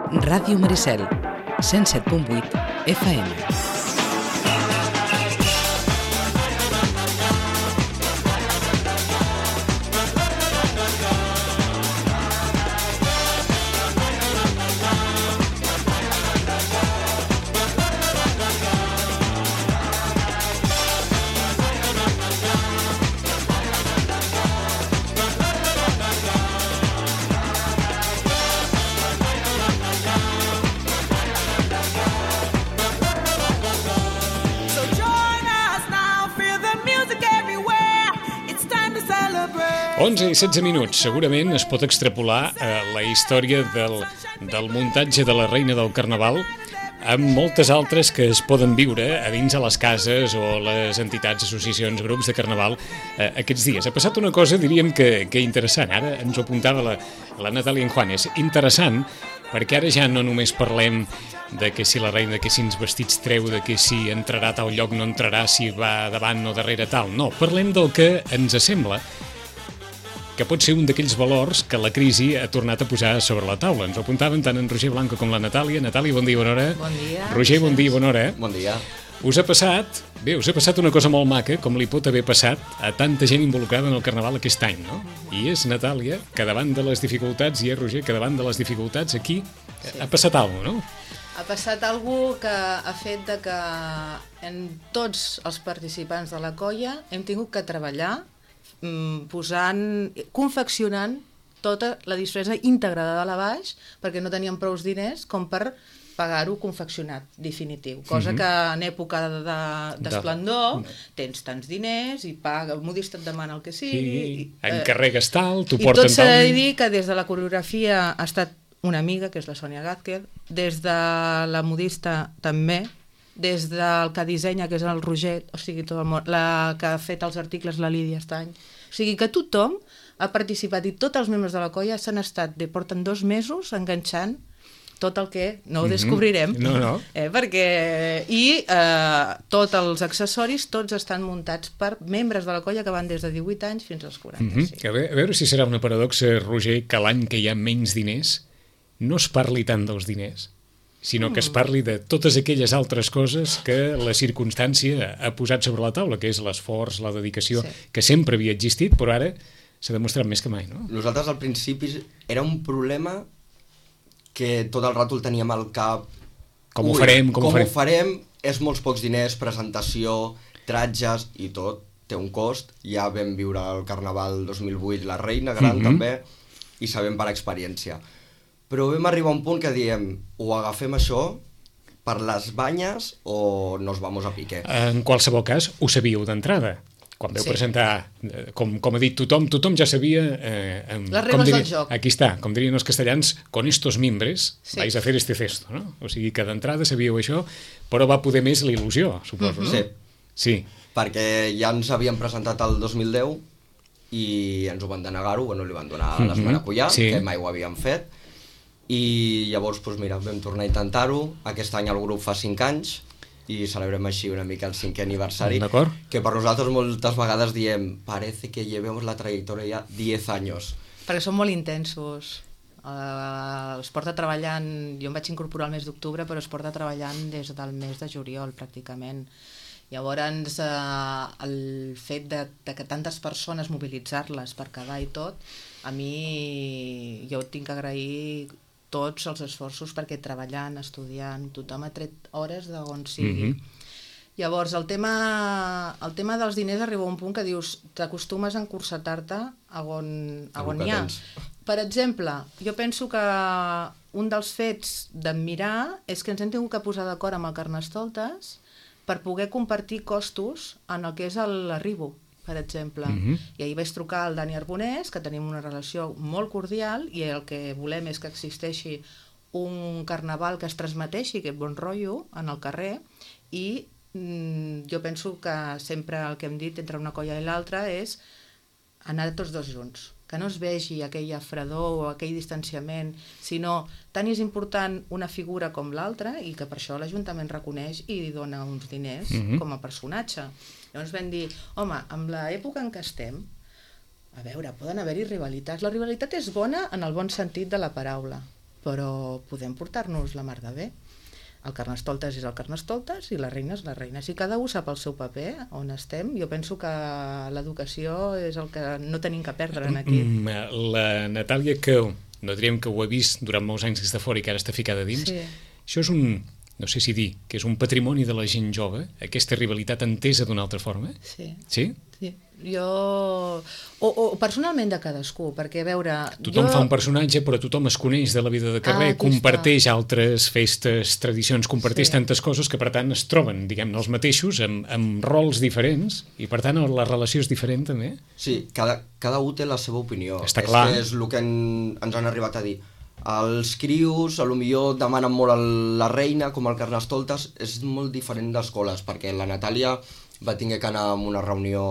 Ràdio Maricel, 107.8 FM. I 16 minuts. Segurament es pot extrapolar la història del muntatge de la Reina del Carnaval amb moltes altres que es poden viure a dins a les cases o les entitats, associacions, grups de Carnaval aquests dies. Ha passat una cosa, diríem, que interessant. Ara ens ho apuntava la Natàlia Enjuanes. Interessant, perquè ara ja no només parlem de que si la reina, que si ens vestits treu, de que si entrarà a tal lloc, no entrarà, si va davant o darrere tal. No, parlem del que ens sembla que pot ser un d'aquells valors que la crisi ha tornat a posar sobre la taula. Ens ho apuntaven tant en Roger Blanco com la Natàlia. Natàlia, bon dia, bona hora. Bon dia. Roger, bon dia, bona hora. Bon dia. Us ha passat una cosa molt maca, com li pot haver passat a tanta gent involucrada en el Carnaval aquest any, no? I és Natàlia, que davant de les dificultats, i és Roger, que davant de les dificultats aquí ha passat alguna cosa, no? Ha passat alguna cosa que ha fet de que en tots els participants de la colla hem tingut que treballar confeccionant tota la disfressa íntegra de dalt a baix, perquè no teníem prous diners com per pagar-ho confeccionat definitiu, cosa que en època d'esplendor tens tants diners i paga, modista et demana el que sigui, encarregues tal, t'ho i porten tal. tot s'ha de dir que des de la coreografia ha estat una amiga, que és la Sònia Gázquez, des de la modista també, des del que dissenya, que és el Roger, o sigui, tot el món, la que ha fet els articles, la Lídia Estany. O sigui que tothom ha participat i tots els membres de la colla s'han estat, porten 2 mesos enganxant tot el que no ho descobrirem. No. I tots els accessoris, tots estan muntats per membres de la colla que van des de 18 anys fins als 45. A veure si serà una paradoxa, Roger, que l'any que hi ha menys diners no es parli tant dels diners, sinó que es parli de totes aquelles altres coses que la circumstància ha posat sobre la taula, que és l'esforç, la dedicació, que sempre havia existit, però ara s'ha demostrat més que mai, no? Nosaltres al principi era un problema que tot el rato el teníem al cap. Com ho farem? És molts pocs diners, presentació, tratges i tot, té un cost. Ja vam viure el Carnaval 2008, la Reina Gran també, i sabem per experiència. Però vam arribar a un punt que diem, o agafem això per les banyes o nos vamos a pique. En qualsevol cas, ho sabíeu d'entrada. Quan veu presentar, com ha dit tothom ja sabia... les regles del joc. Aquí està, com dirien els castellans, con estos mimbres vais a hacer este cesto, no? O sigui que d'entrada sabíeu això, però va poder més la il·lusió, suposo, no? Sí. Perquè ja ens havíem presentat el 2010 i ens ho van denegar-ho, li van donar les maracuyà, que mai ho havíem fet, i llavors, vam tornar a intentar-ho. Aquest any el grup fa 5 anys i celebrem així una mica el 5è aniversari, que per nosaltres moltes vegades diem parece que llevemos la trayectoria 10 anys. Perquè són molt intensos. Es porta treballant, jo em vaig incorporar el mes d'octubre, però es porta treballant des del mes de juliol, pràcticament. Llavors, el fet de que tantes persones mobilitzar-les per quedar i tot, a mi jo tinc que agrair tots els esforços perquè treballant, estudiant, tothom ha tret hores d'on sigui. Llavors, el tema dels diners arriba a un punt que dius, t'acostumes a encursetar-te a on hi ha. Per exemple, jo penso que un dels fets d'admirar és que ens hem tingut que posar d'acord amb el Carnestoltes per poder compartir costos en el que és l'arribo, per exemple. I ahir vaig trucar al Dani Arbonès, que tenim una relació molt cordial, i el que volem és que existeixi un carnaval que es transmeteixi aquest bon rotllo en el carrer, i jo penso que sempre el que hem dit entre una colla i l'altra és anar tots dos junts, que no es vegi aquella fredor o aquell distanciament, sinó tant és important una figura com l'altra, i que per això l'Ajuntament reconeix i li dona uns diners com a personatge. Llavors vam dir, home, amb l'època en què estem, a veure, poden haver-hi rivalitats. La rivalitat és bona en el bon sentit de la paraula, però podem portar-nos la mar de bé. El Carnestoltes és el Carnestoltes i la reina és la reina. Si cada un sap el seu paper, on estem, jo penso que l'educació és el que no tenim que perdre aquí. La Natàlia, que no diríem que ho ha vist durant molts anys des de fora i que ara està ficada dins, això és no sé si dir, que és un patrimoni de la gent jove, aquesta rivalitat entesa d'una altra forma? Sí. Sí? Sí. Jo... O personalment de cadascú, perquè a veure... Tothom fa un personatge, però tothom es coneix de la vida de carrer, comparteix altres festes, tradicions, comparteix tantes coses que per tant es troben, diguem-ne, els mateixos, amb rols diferents, i per tant la relació és diferent també? Sí, cada un té la seva opinió. Està clar. És el que ens han arribat a dir. Els crios, potser demanen molt a la reina, com el Carnestoltes, és molt diferent d'escoles, perquè la Natàlia va tenir que anar a una reunió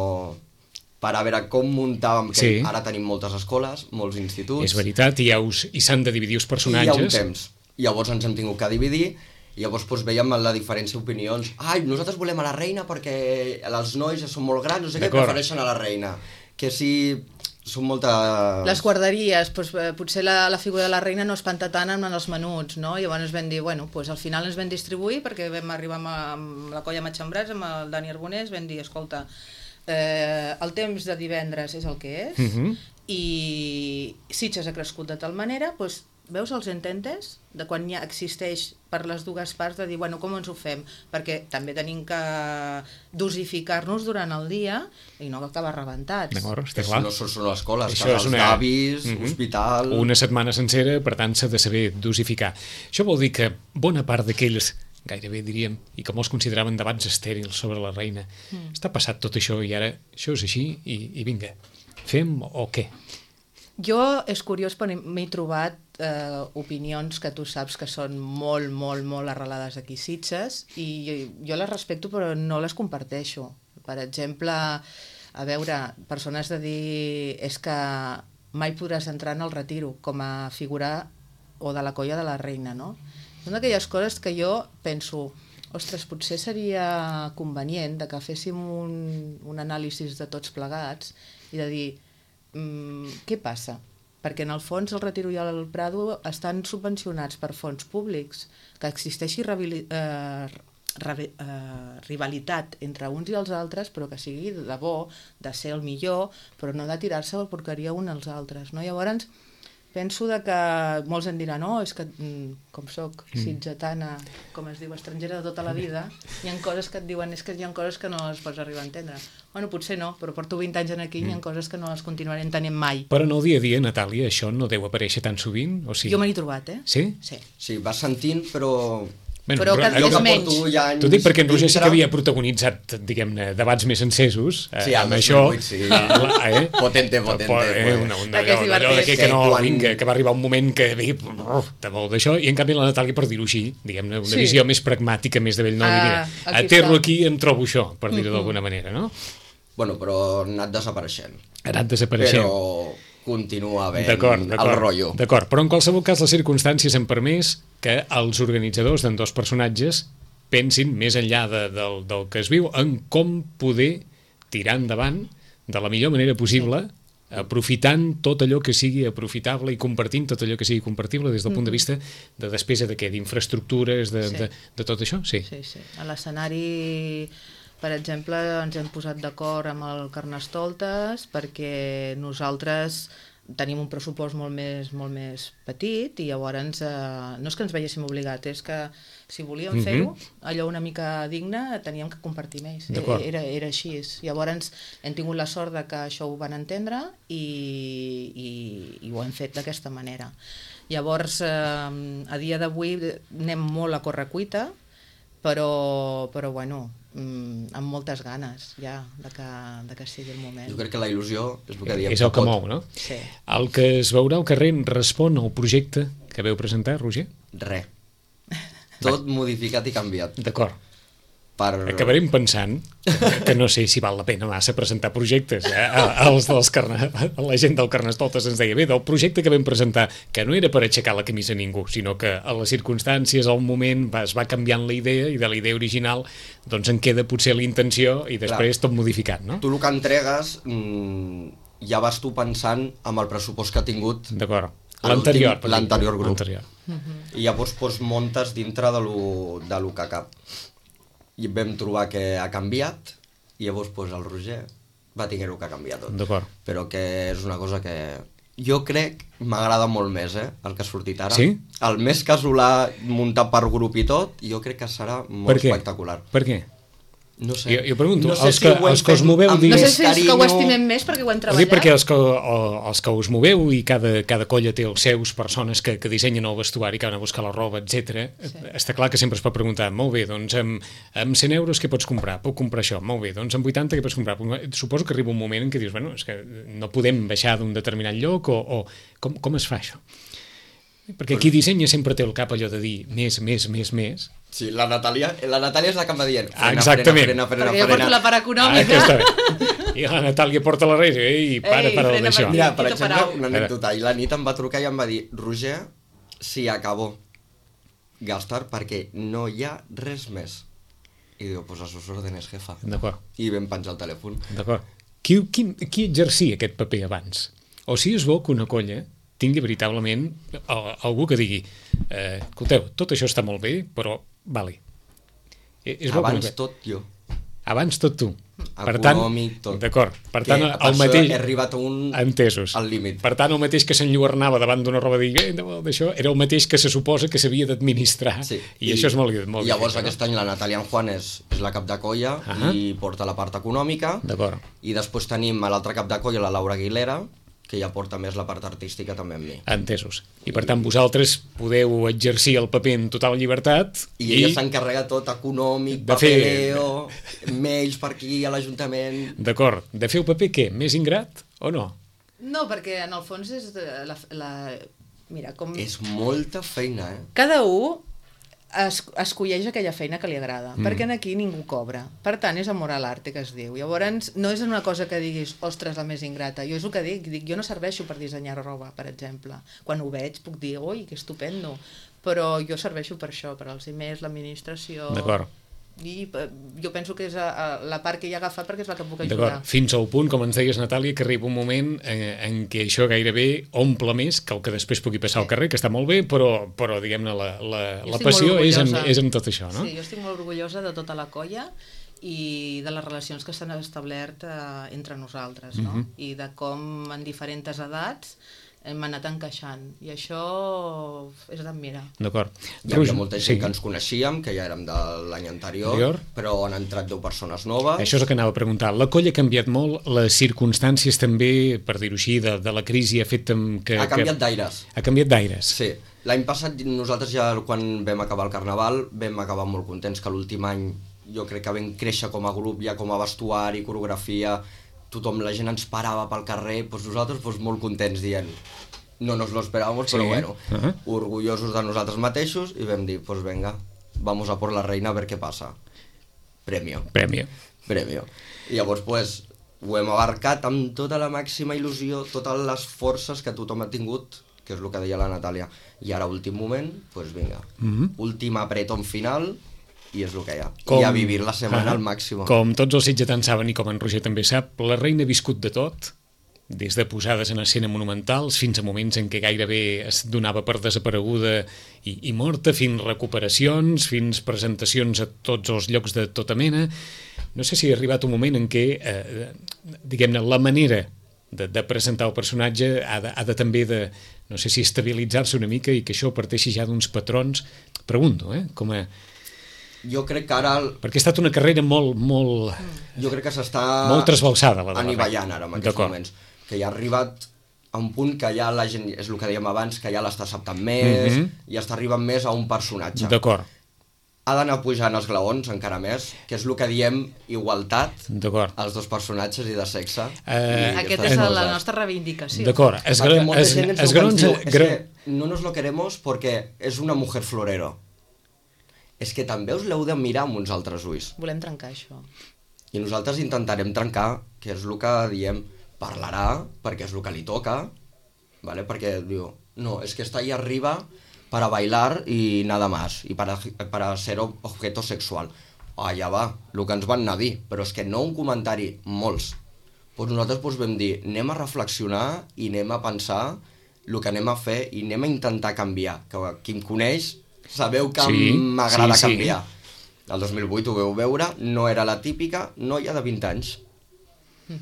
per a veure com muntàvem, que ara tenim moltes escoles, molts instituts... És veritat, i s'han de dividir els personatges... I hi ha un temps. Llavors ens hem tingut que dividir, i llavors veiem la diferència d'opinions. Ai, nosaltres volem a la reina perquè els nois ja són molt grans, no sé què, prefereixen a la reina. Que si... són moltes... Les guarderies, potser la figura de la reina no espanta tant en els menuts, no? Llavors vam dir, bueno, al final ens vam distribuir, perquè vam arribar amb la colla Matxembrats, amb el Dani Arbonés, vam dir, escolta, el temps de divendres és el que és, i Sitges ha crescut de tal manera, veus els ententes de quan ja existeix per les dues parts de dir, bueno, com ens ho fem? Perquè també tenim que dosificar-nos durant el dia i no acabar rebentats. D'acord, està clar. No són escoles, casals d'avis, hospital... Una setmana sencera, per tant, s'ha de saber dosificar. Això vol dir que bona part d'aquells, gairebé diríem, i que molts consideraven debats estèrils sobre la reina, està passat tot això i ara això és així i vinga, fem o què? Jo, és curiós, però m'he trobat opinions que tu saps que són molt, molt, molt arrelades aquí a Sitges i jo les respecto però no les comparteixo. Per exemple, a veure, persones de dir és que mai podràs entrar en el retiro com a figura o de la colla de la reina, no? Són d'aquelles coses que jo penso, ostres, potser seria convenient que féssim un anàlisi de tots plegats i de dir què passa? Perquè en el fons el Retiro i el Prado estan subvencionats per fons públics, que existeixi rivalitat entre uns i els altres, però que sigui de bo, de ser el millor, però no de tirar-se la porqueria uns als altres, no? Llavors, penso que molts em diran, és que com soc sitgetana, com es diu, estrangera de tota la vida, hi ha coses que et diuen, és que hi ha coses que no les pots arribar a entendre. Bueno, potser no, però porto 20 anys aquí i hi ha coses que no les continuaré entenent mai. Però en el dia a dia, Natàlia, això no deu aparèixer tan sovint? O sigui... Jo me n'he trobat, Sí? Sí, vas sentint, però... Però que és menys. T'ho dic perquè en Roger sí que havia protagonitzat, diguem-ne, debats més encesos amb això. Sí, potente. Allò que no, vinga, que va arribar un moment que de molt d'això, i en canvi la Natàlia, per dir-ho així, diguem-ne, una visió més pragmàtica, més de vell, no, mira, aterro aquí i em trobo això, per dir-ho d'alguna manera, no? Bueno, però ha anat desapareixent. Però continua havent el rotllo. D'acord, però en qualsevol cas les circumstàncies han permès que els organitzadors d'ambdós personatges pensin més enllà del que es viu en com poder tirar endavant de la millor manera possible, aprofitant tot allò que sigui aprofitable i compartint tot allò que sigui compartible des del punt de vista de despesa de què? D'infraestructures, de tot això? Sí. A l'escenari, per exemple, ens hem posat d'acord amb el Carnestoltes perquè nosaltres tenim un pressupost molt més petit i llavors no és que ens veiéssim obligats, és que si volíem fer-ho, allò una mica digne, teníem que compartir més. Era així. Llavors hem tingut la sort que això ho van entendre i ho hem fet d'aquesta manera. Llavors, a dia d'avui anem molt a correcuita, però bueno, amb moltes ganes ja de que sigui el moment. Jo crec que la il·lusió és el que diem. És el que mou, no? Sí. El que es veurà al carrer respon al projecte que veu presentar, Roger? Res. Tot modificat i canviat. D'acord. Acabarem pensant que no sé si val la pena massa presentar projectes. La gent del Carnestoltes ens deia, bé, del projecte que vam presentar, que no era per aixecar la camisa a ningú, sinó que a les circumstàncies, al moment, es va canviant la idea i de la idea original doncs en queda potser la intenció i després tot modificat, no? Tu el que entregues ja vas tu pensant amb el pressupost que ha tingut l'anterior grup. I llavors pues, montes dintre de lo que cap. I vam trobar que ha canviat, i llavors pues, el Roger va tenir-ho que canviar tot. D'acord. Però que és una cosa que jo crec m'agrada molt més, el que ha sortit ara. Sí? El més casolà muntat per grup i tot, jo crec que serà molt espectacular. Per què? No sé. Jo pregunto, no sé els que us moveu... No sé si és que ho estimem més perquè ho hem treballat. Perquè els que us moveu i cada colla té els seus persones que dissenyen el vestuari, que van a buscar la roba, etc. Sí. Està clar que sempre es pot preguntar, molt bé, doncs amb 100 euros què pots comprar? Puc comprar això. Molt bé, doncs amb 80 què pots comprar? Suposo que arriba un moment en què dius, bueno, és que no podem baixar d'un determinat lloc o com es fa això? Perquè qui dissenya sempre té el cap allò de dir més. Sí, la Natàlia és la que em va dient exactament. frena. Perquè jo porto la part econòmica. I la Natàlia porta la reina i para d'això. Mira, per exemple, una anècdota, i la nit em va trucar i em va dir, Roger, si acabó gastar perquè no hi ha res més. I diu, pues a sus órdenes, jefa. D'acord. I vam penjar el telèfon. D'acord. Qui exercia aquest paper abans? O si és bo que una colla tingui veritablement algú que digui escolteu, tot això està molt bé, però vale. Abans tot jo. Abans tot tu. Econòmic, tot. D'acord. Per tant, el mateix... he arribat entesos. Al límit. Per tant, el mateix que s'enlluernava davant d'una roba d'això, era el mateix que se suposa que s'havia d'administrar. Sí. I això és molt difícil. Llavors, aquest any la Natàlia Juan és la cap de colla i porta la part econòmica. D'acord. I després tenim a l'altra cap de colla, la Laura Aguilera, que ja porta més la part artística també amb mi. Entesos. I per tant vosaltres podeu exercir el paper en total llibertat i ella s'encarrega tot econòmic, papeleo, mails per aquí a l'Ajuntament... D'acord. De fer el paper què? Més ingrat o no? No, perquè en el fons és mira, com... És molta feina, Cada un escolleix aquella feina que li agrada, perquè aquí ningú cobra. Per tant, és amor a l'arte, que es diu. Llavors, no és una cosa que diguis, ostres, la més ingrata. Jo és el que dic, jo no serveixo per dissenyar roba, per exemple. Quan ho veig puc dir, ui, que estupendo, però jo serveixo per això, per als emails, l'administració... D'acord. I jo penso que és la part que hi ha agafat perquè és la que puc ajudar. D'acord, fins al punt, com ens deies, Natàlia, que arriba un moment en què això gairebé omple més que el que després pugui passar al carrer, que està molt bé, però diguem-ne, la passió és en tot això, no? Sí, jo estic molt orgullosa de tota la colla i de les relacions que s'han establert entre nosaltres, no? I de com en diferents edats hem anat encaixant, i això és d'admirar. D'acord. Hi havia molta gent que ens coneixíem, que ja érem de l'any anterior, però han entrat 10 persones noves. Això és el que anava a preguntar. La colla ha canviat molt, les circumstàncies també, per dir-ho així, de la crisi ha fet que... Ha canviat d'aires. Ha canviat d'aires. Sí. L'any passat nosaltres ja, quan vam acabar el Carnaval, vam acabar molt contents, que l'últim any jo crec que vam créixer com a grup, ja com a vestuari, coreografia... Tothom, la gent ens parava pel carrer, doncs nosaltres molt contents dient no nos lo esperábamos, però bueno, orgullosos de nosaltres mateixos, i vam dir, pues venga, vamos a por la reina a ver qué pasa. Premio. I llavors, pues, ho hem abarcat amb tota la màxima il·lusió, totes les forces que tothom ha tingut, que és el que deia la Natàlia. I ara, últim moment, pues vinga, últim apretón final... i és el que hi ha. I a vivir la setmana al màxim. Com tots els sitgetans saben i com en Roger també sap, la reina ha viscut de tot, des de posades en escena monumentals fins a moments en què gairebé es donava per desapareguda i morta, fins recuperacions, fins presentacions a tots els llocs de tota mena. No sé si ha arribat un moment en què, diguem-ne, la manera de presentar el personatge ha de també de, no sé si estabilitzar-se una mica i que això parteixi ja d'uns patrons. Pregunto, com a... Jo crec que ara... Perquè ha estat una carrera molt... Jo crec que s'està... Molt trasbalsada, la anivellant ara, en aquests moments. Que ja ha arribat a un punt que ja la gent, és el que dèiem abans, que ja l'està acceptant més, i està arribant més a un personatge. D'acord. Ha d'anar pujant els glaons encara més, que és el que diem igualtat als dos personatges i de sexe. Aquesta és la nostra reivindicació. D'acord. No nos lo queremos porque es una mujer florero. És que també us l'heu de mirar amb uns altres ulls. Volem trencar això. I nosaltres intentarem trencar, que és el que diem, parlarà, perquè és el que li toca, ¿vale? Perquè diu, no, es que está ahí arriba para bailar y nada más, y para ser objeto sexual. Allà va, el que ens van anar a dir, però és que no un comentari, molts. Pues nosaltres vam dir, anem a reflexionar i anem a pensar el que anem a fer i anem a intentar canviar, que qui em coneix sabeu que m'agrada canviar. El 2008 ho veu veure, no era la típica noia de 20 anys,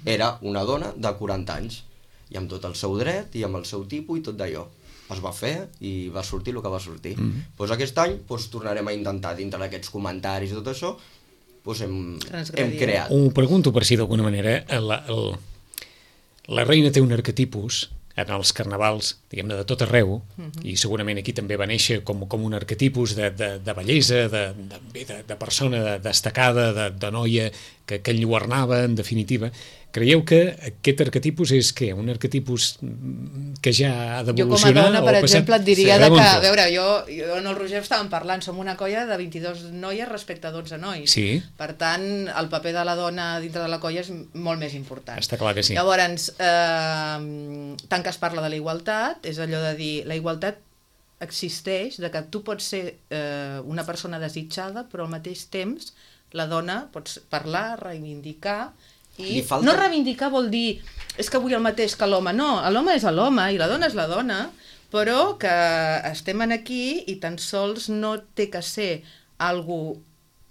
era una dona de 40 anys, i amb tot el seu dret i amb el seu tipus i tot d'allò. Es va fer i va sortir el que va sortir. Doncs aquest any tornarem a intentar, dintre d'aquests comentaris i tot això, hem creat. Ho pregunto per si d'alguna manera la reina té un arquetipus en els carnavals, diguem-ne, de tot arreu, i segurament aquí també va néixer com un arquetipus de bellesa, de persona destacada, de noia que enlluernava, en definitiva. Creieu que aquest arquetipus és què? Un arquetipus que ja ha d'evolucionar? Jo com a dona, per exemple, et diria que, a veure, jo en el Roger estàvem parlant, som una colla de 22 noies respecte a 12 nois. Sí. Per tant, el paper de la dona dintre de la colla és molt més important. Està clar que sí. Llavors, tant que es parla de la igualtat, és allò de dir, la igualtat existeix, de que tu pots ser una persona desitjada, però al mateix temps la dona pots parlar, reivindicar, i no reivindicar vol dir és que vull el mateix que l'home, no, l'home és l'home i la dona és la dona, però que estem aquí i tan sols no té que ser algo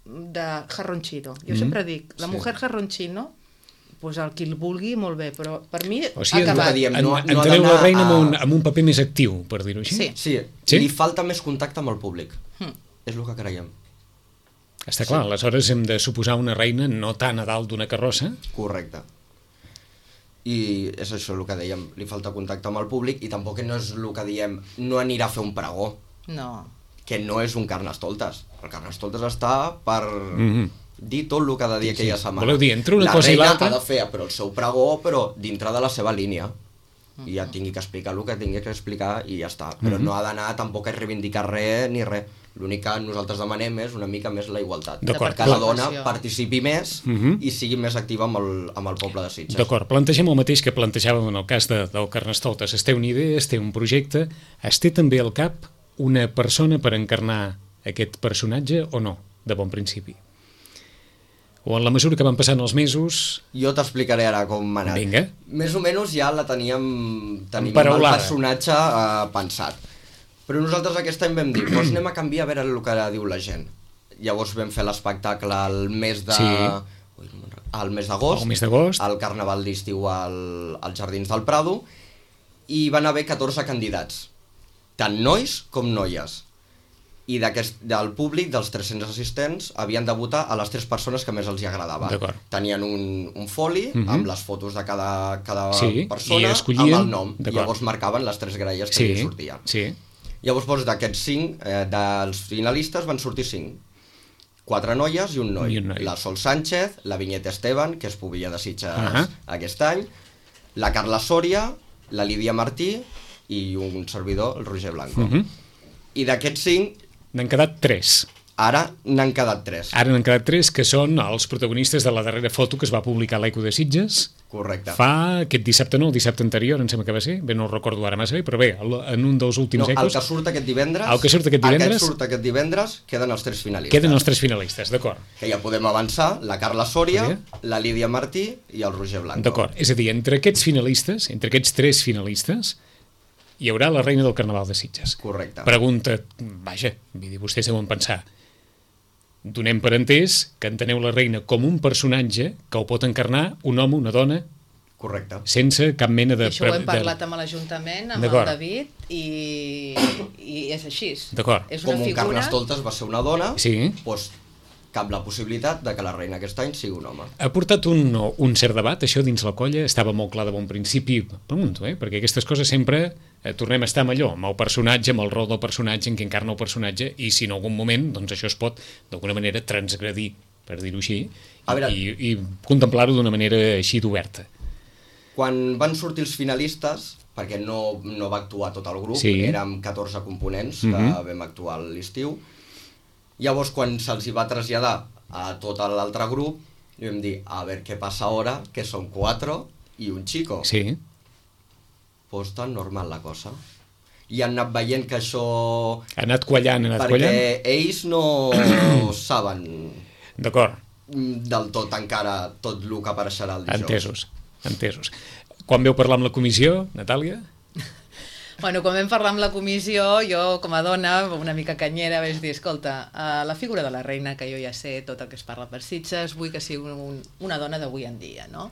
de jarronchino. Jo sempre dic, la mujer jarronchino, pues el qui el vulgui, molt bé, però per mi ha acabat. Enteneu la reina amb un paper més actiu, per dir-ho així? Sí, li falta més contacte amb el públic. És el que creiem. Està clar, aleshores hem de suposar una reina no tan a dalt d'una carrossa. Correcte. I és això el que dèiem, li falta contacte amb el públic i tampoc no és el que diem, no anirà a fer un pregó. No. Que no és un Carnestoltes. El Carnestoltes està per dir tot el que ha de dir aquella setmana. Voleu dir, entre una cosa i l'altra... La reina ha de fer però el seu pregó, però dintre de la seva línia. I ja tingui que explicar el que tingui que explicar i ja està. Però no ha d'anar tampoc a reivindicar res ni res. L'únic que nosaltres demanem és una mica més la igualtat. Que la dona participi més i sigui més activa amb el poble de Sitges. D'acord, plantegem el mateix que plantejàvem en el cas del Carnestoltes. Es té una idea, es té un projecte, es té també al cap una persona per encarnar aquest personatge o no, de bon principi? O en la mesura que van passant els mesos... Jo t'explicaré ara com m'ha anat. Vinga. Més o menys ja la teníem el personatge pensat. Però nosaltres aquest any vam dir, doncs anem a canviar a veure el que diu la gent. Llavors vam fer l'espectacle al mes de... al mes d'agost, al Carnaval d'estiu als Jardins del Prado, i van haver 14 candidats, tant nois com noies. I del públic, dels 300 assistents, havien de votar a les 3 persones que més els agradava. Tenien un foli amb les fotos de cada persona amb el nom. I llavors marcaven les 3 gralles que li sortien. Llavors, d'aquests 5, dels finalistes van sortir 5. 4 noies i un noi. La Sol Sánchez, la Vinyeta Esteban, que és pubilla de Sitges aquest any, la Carla Soria, la Lídia Martí i un servidor, el Roger Blanco. I d'aquests 5... N'han quedat 3. Ara n'han quedat 3. Ara n'han quedat 3, que són els protagonistes de la darrera foto que es va publicar a l'Eco de Sitges. Correcte. Fa aquest dissabte, no, el dissabte anterior, em sembla que va ser, bé, no ho recordo ara massa bé, però bé, en un dels últims ecos... El que surt aquest divendres... Aquest divendres queden els 3 finalistes. Queden els 3 finalistes, d'acord. Que ja podem avançar, la Carla Soria, la Lídia Martí i el Roger Blanco. D'acord, és a dir, entre aquests finalistes, entre aquests 3 finalistes, hi haurà la reina del Carnaval de Sitges. Correcte. Pregunta, vaja, vull dir, vostès deuen pensar, donem per entès que enteneu la reina com un personatge que ho pot encarnar un home, una dona... Correcte. Sense cap mena de... Això ho hem parlat amb l'Ajuntament, amb el David, i és així. D'acord. Com un Carnestoltes va ser una dona, doncs cap la possibilitat de que la reina aquest any sigui un home. Ha portat un cert debat, això dins la colla, estava molt clar de bon principi, pregunto, perquè aquestes coses sempre tornem a estar amb allò, amb el personatge, amb el rol del personatge, en què encarna el personatge, i si en algun moment, doncs això es pot, d'alguna manera, transgredir, per dir-ho així, i contemplar-ho d'una manera així d'oberta. Quan van sortir els finalistes, perquè no va actuar tot el grup, érem 14 components que vam actuar a l'estiu. Llavors, quan se'ls va traslladar a tot l'altre grup, vam dir, a veure què passa ara, que són 4 i un xico. Sí. Pues tan normal la cosa. I han anat veient que això... Ha anat quallant, perquè ells no saben... D'acord. Del tot encara tot el que apareixerà el dijous. Entesos. Quan veu parlar amb la comissió, Natàlia? Bueno, quan vam parlar amb la comissió, jo com a dona, una mica canyera, vaig dir, escolta, la figura de la reina, que jo ja sé tot el que es parla per Sitges, vull que sigui una dona d'avui en dia, no?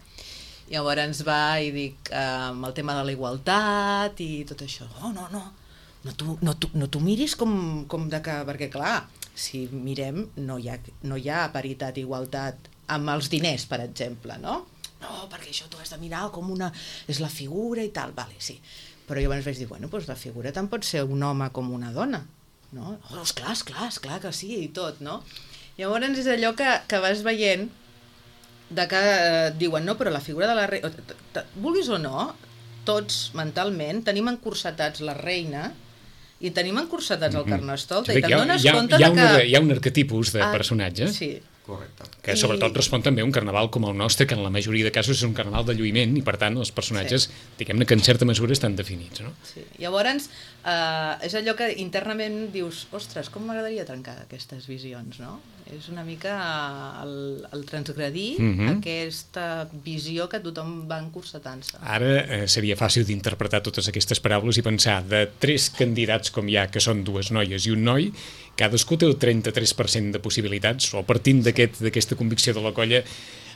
Llavors ens va i dic, amb el tema de la igualtat i tot això, no t'ho miris com de que, perquè clar, si mirem, no hi ha paritat i igualtat amb els diners, per exemple, no? No, perquè això t'ho has de mirar com és la figura i tal, vale, sí. Però jo abans vaig dir, bueno, doncs la figura tant pot ser un home com una dona, no? Oh, esclar que sí, i tot, no? Llavors és allò que vas veient de que diuen, no, però la figura de la reina, vulguis o no, tots mentalment tenim encursetats la reina i tenim encursetats el Carnestoltes i te'n dones compte de que... Hi ha un arquetipus de personatge. Sí. Correcte. Que sobretot respon també a un carnaval com el nostre, que en la majoria de casos és un carnaval de lluïment i per tant els personatges, diguem-ne que en certa mesura estan definits, no? Sí. Llavors és allò que internament dius, ostres, com m'agradaria trencar aquestes visions, no? És una mica el transgredir aquesta visió que tothom va encursetant-se. Ara seria fàcil d'interpretar totes aquestes paraules i pensar de 3 candidats com hi ha, que són 2 noies i un noi, cadascú té el 33% de possibilitats, o partint d'aquesta convicció de la colla,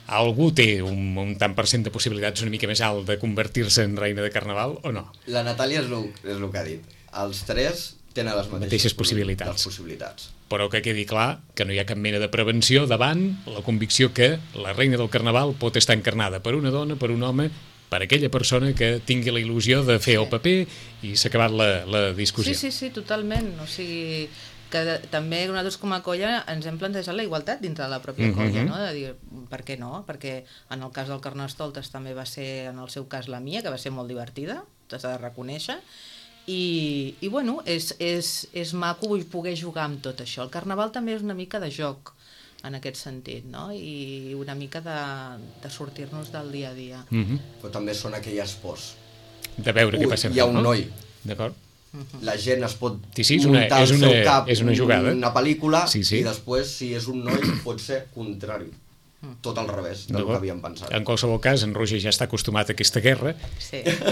algú té un tant per cent de possibilitats una mica més alt de convertir-se en reina de carnaval o no? La Natàlia és el que ha dit. Els 3 tenen les mateixes possibilitats. Però que quedi clar que no hi ha cap mena de prevenció davant la convicció que la reina del carnaval pot estar encarnada per una dona, per un home, per aquella persona que tingui la il·lusió de fer el paper i s'ha acabat la discussió. Sí, totalment. O sigui, que també nosaltres com a colla ens hem plantejat la igualtat dintre de la pròpia colla, no? De dir, per què no? Perquè en el cas del Carnestoltes també va ser, en el seu cas, la mia, que va ser molt divertida, t'has de reconèixer, i bueno, és maco poder jugar amb tot això. El carnaval també és una mica de joc en aquest sentit, no? I una mica de sortir-nos del dia a dia. Però també són aquelles pors. De veure què passa. Hi ha un noi. D'acord. La gent es pot muntar al seu cap una pel·lícula i després, si és un noi, pot ser contrari. Tot al revés del que havíem pensat. En qualsevol cas, en Roger ja està acostumat a aquesta guerra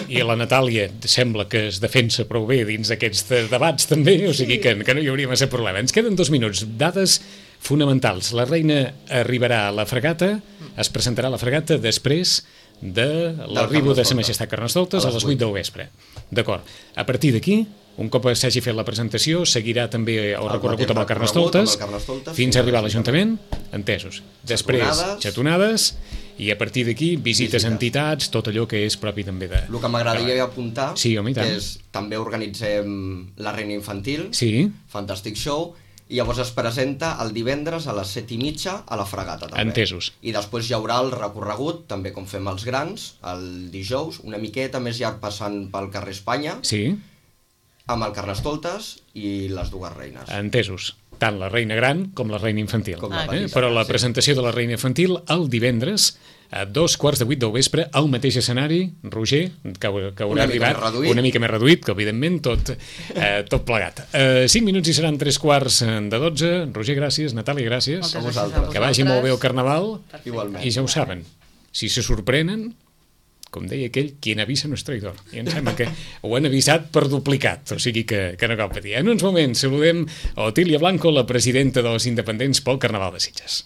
i la Natàlia sembla que es defensa prou bé dins d'aquests debats també, o sigui que no hi hauria massa problema. Ens queden 2 minuts. Dades fonamentals. La reina arribarà a la fregata, es presentarà a la fregata després de l'arribo de Sa Majestat Carnestoltes a les 8 del vespre. D'acord. A partir d'aquí, un cop s'hagi fet la presentació, seguirà també el recorregut amb el Carnestoltes fins a arribar a l'Ajuntament, entesos. Després, xatonades, i a partir d'aquí, visites a entitats, tot allò que és propi també de... El que m'agradaria apuntar, que és també organitzem la Reina Infantil, Fantastic Show, i llavors es presenta el divendres a les 7:30 a la fregata també. Entesos. I després hi haurà el recorregut, també com fem els grans, el dijous, una miqueta més llarg passant pel carrer Espanya, amb el Carnestoltes i les 2 reines. Entesos. Tant la reina gran com la reina infantil. Però la presentació de la reina infantil el divendres a 7:15 del vespre al mateix escenari, Roger, que haurà arribat una mica més reduït, que evidentment tot plegat. 5 minuts i seran 3:15. Roger, gràcies. Natàlia, gràcies. A vosaltres. Que vagi molt bé el carnaval. Igualment. I ja ho saben, si se sorprenen, com deia aquell, quien avisa no és traïdor. I em sembla que ho han avisat per duplicat, o sigui que no cal patir. En uns moments saludem a Otília Blanco, la presidenta dels Independents pel Carnaval de Sitges.